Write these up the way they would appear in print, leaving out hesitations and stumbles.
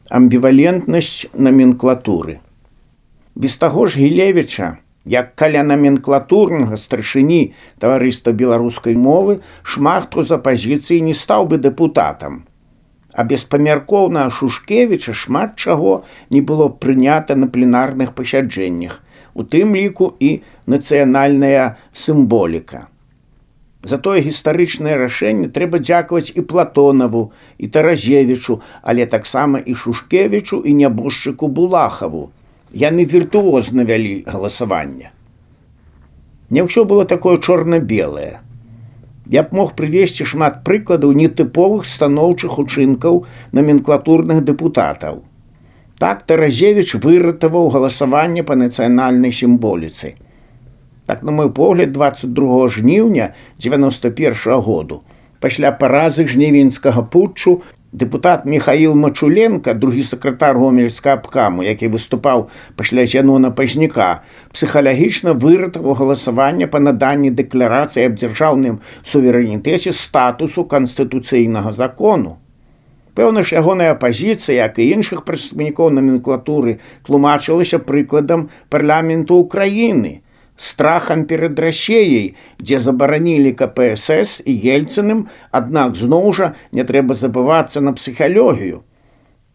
амбівалентнасць наменклатуры. Без таго ж Гілевіча, як каля наменклатурнага старшыні таварыства беларускай мовы, шмат хто з апазіцыі не стаў бы дэпутатам. А без памяркоўнага Шушкевіча шмат чаго не было прынята на пленарных пасяджэннях, у тым ліку і нацыянальная сімволіка. Затое гістарычнае рашэнне трэба дзякаваць і Платонаву, і Таразевічу, але таксама і Шушкевічу, і нябожчыку Булахаву. Яны віртуозна вялі галасаванне. Не ўсё было такое чорна-белае. Я б мог прывесці шмат прыкладаў нетыповых станоўчых учынкаў наменклатурных дэпутатаў. Так Таразевіч выратаваў галасаванне па нацыянальнай сімволіцы. Так, на мой погляд, 22 жніўня 91 году, пасля паразы жнівеньскага путчу, дэпутат Михаил Мачуленко, другі сакратар гомельскага абкаму, які выступаў пасля Зянона Пазняка, псіхалагічна выратаваў галасаванне па наданні дэкларацыі аб дзяржаўным суверэнітэце статусу канстытуцыйнага закону. Пэўна ж, ягоная пазіцыя, як і іншых прадстаўнікоў наменклатуры, тлумачылася прыкладам парламенту Украіны, страхам перад Расіяй, дзе забаранілі КПСС і Ельцыным, аднак зноў жа не трэба забывацца на псіхалогію.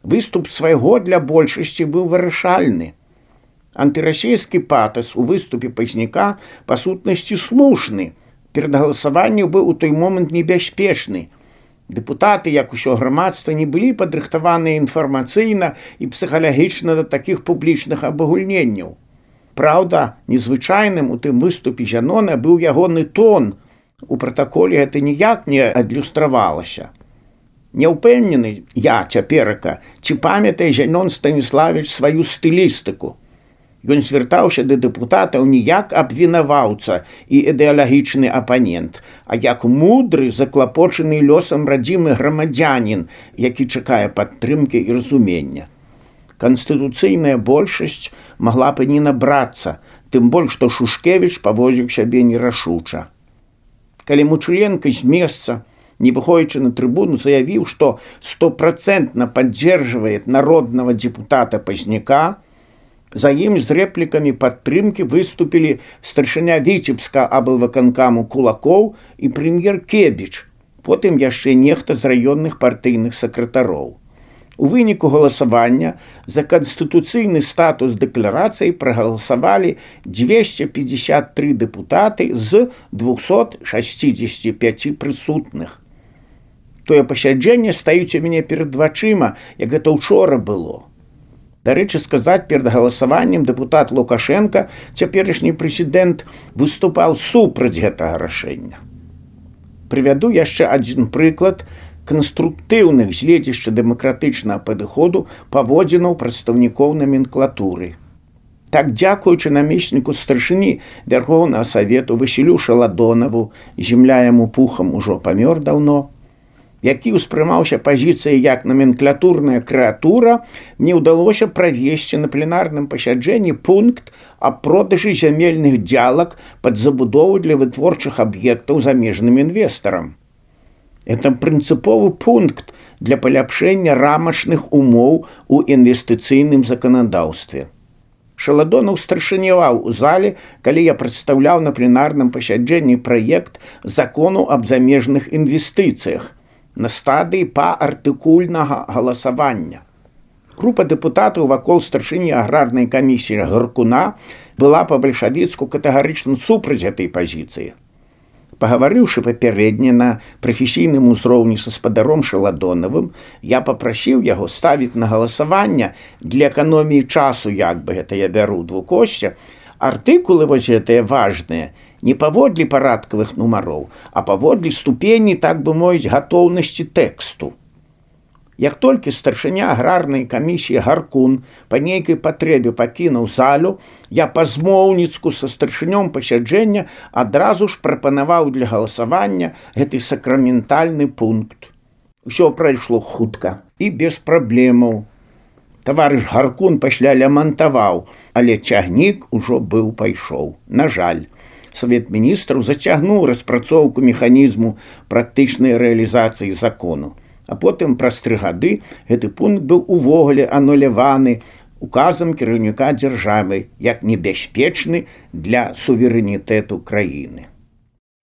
Выступ свайго для большасці быў вырашальны. Антырасійскі патас у выступе Пазняка па сутнасці слушны. Перад галасаваннем быў у той момант небяспечны. Дэпутаты, як усё грамадства, не былі падрыхтаваныя інфармацыйна і псіхалагічна да такіх публічных абагульненняў. Праўда, незвычайным у тым выступе Зянона быў ягоны тон. У пратаколе гэта ніяк не адлюстравалася. Не ўпэўнены я цяперака, ці памятае Зянон Станіславіч сваю стылістыку. Ён звяртаўся да дэпутатаў не як абвінаваўца і ідэалагічны апанент, а як мудры, заклапочаны лёсам радзімы грамадзянін, які чакае падтрымкі і разумення. Канстытуцыйная большасць магла б і не набрацца, тым больш, што Шушкевіч паводзіў сябе нерашуча. Калі Мачуленко з месца, не выходзячы на трыбуну, заявіў, што 100% паддзержвае народнага дэпутата Пазняка, за ім з рэплікамі падтрымкі выступілі старшыня Віцебска аблвыканкаму Кулакоў і прэм'ер Кебіч, потым яшчэ нехта з раённых партыйных сакратароў. У выніку галасавання за канстытуцыйны статус дэкларацыі прагаласавалі 253 дэпутаты з 265 прысутных. Тое пасяджэнне стаіць у мяне перад вачыма, як гэта ўчора было. Дарэчы сказаць, перад галасаваннем дэпутат Лукашенко, цяперашні прэзідэнт, выступаў супраць гэтага рашэння. Прывяду яшчэ адзін прыклад канструктыўных гледзяшча дэмакратычнага падыходу паводзінаў прадстаўнікоў наменклатуры. Так, дзякуючы намесніку старшыні Вярхоўнага Савету Васілю Шаладонаву, земля яму пухам ужо памёр даўно, які ўспрымаўся пазіцыяй як наменклатурная крэатура, мне ўдалося правесці на пленарным пасяджэнні пункт аб продажы зямельных дзялак пад забудову для вытворчых аб'ектаў замежным інвестарам. Это прынцыповы пункт для паляпшэння рамачных умоў у інвестыцыйным заканадаўстве. Шаладонаў старшыняваў у зале, калі я прадстаўляў на пленарным пасяджэнні праект закону аб замежных інвестыцыях на стадыі паартыкульнага галасавання. Група дэпутатаў вакол старшыні аграрнай камісіі Гаркуна была па-бальшавіцку катэгарычна супраць гэтай пазіцыі. Пагаварыўшы папярэдне на прафесійным узроўні са спадаром Шаладонавым, я папрасіў яго ставіць на галасаванне для эканоміі часу, як бы гэта я бяру двукосця, артыкулы вось гэтыя важныя не паводле парадкавых нумароў, а паводле ступені, так бы мовіць, гатоўнасці тэксту. Як толькі старшыня аграрнай камісіі Гаркун па нейкай патрэбе пакінуў залю, я па-змоўніцку са старшынём пасяджэння адразу ж прапанаваў для галасавання гэты сакраментальны пункт. Усё прайшло хутка і без праблемаў. Таварыш Гаркун пасля лямантаваў, але цягнік ужо быў пайшоў. На жаль, Савет міністраў зацягнуў распрацоўку механізму практычнай рэалізацыі закону. А потым праз 3 гады гэты пункт быў увогуле ануляваны указам кіраўніка дзяржавы як небяспечны для суверэнітэту краіны.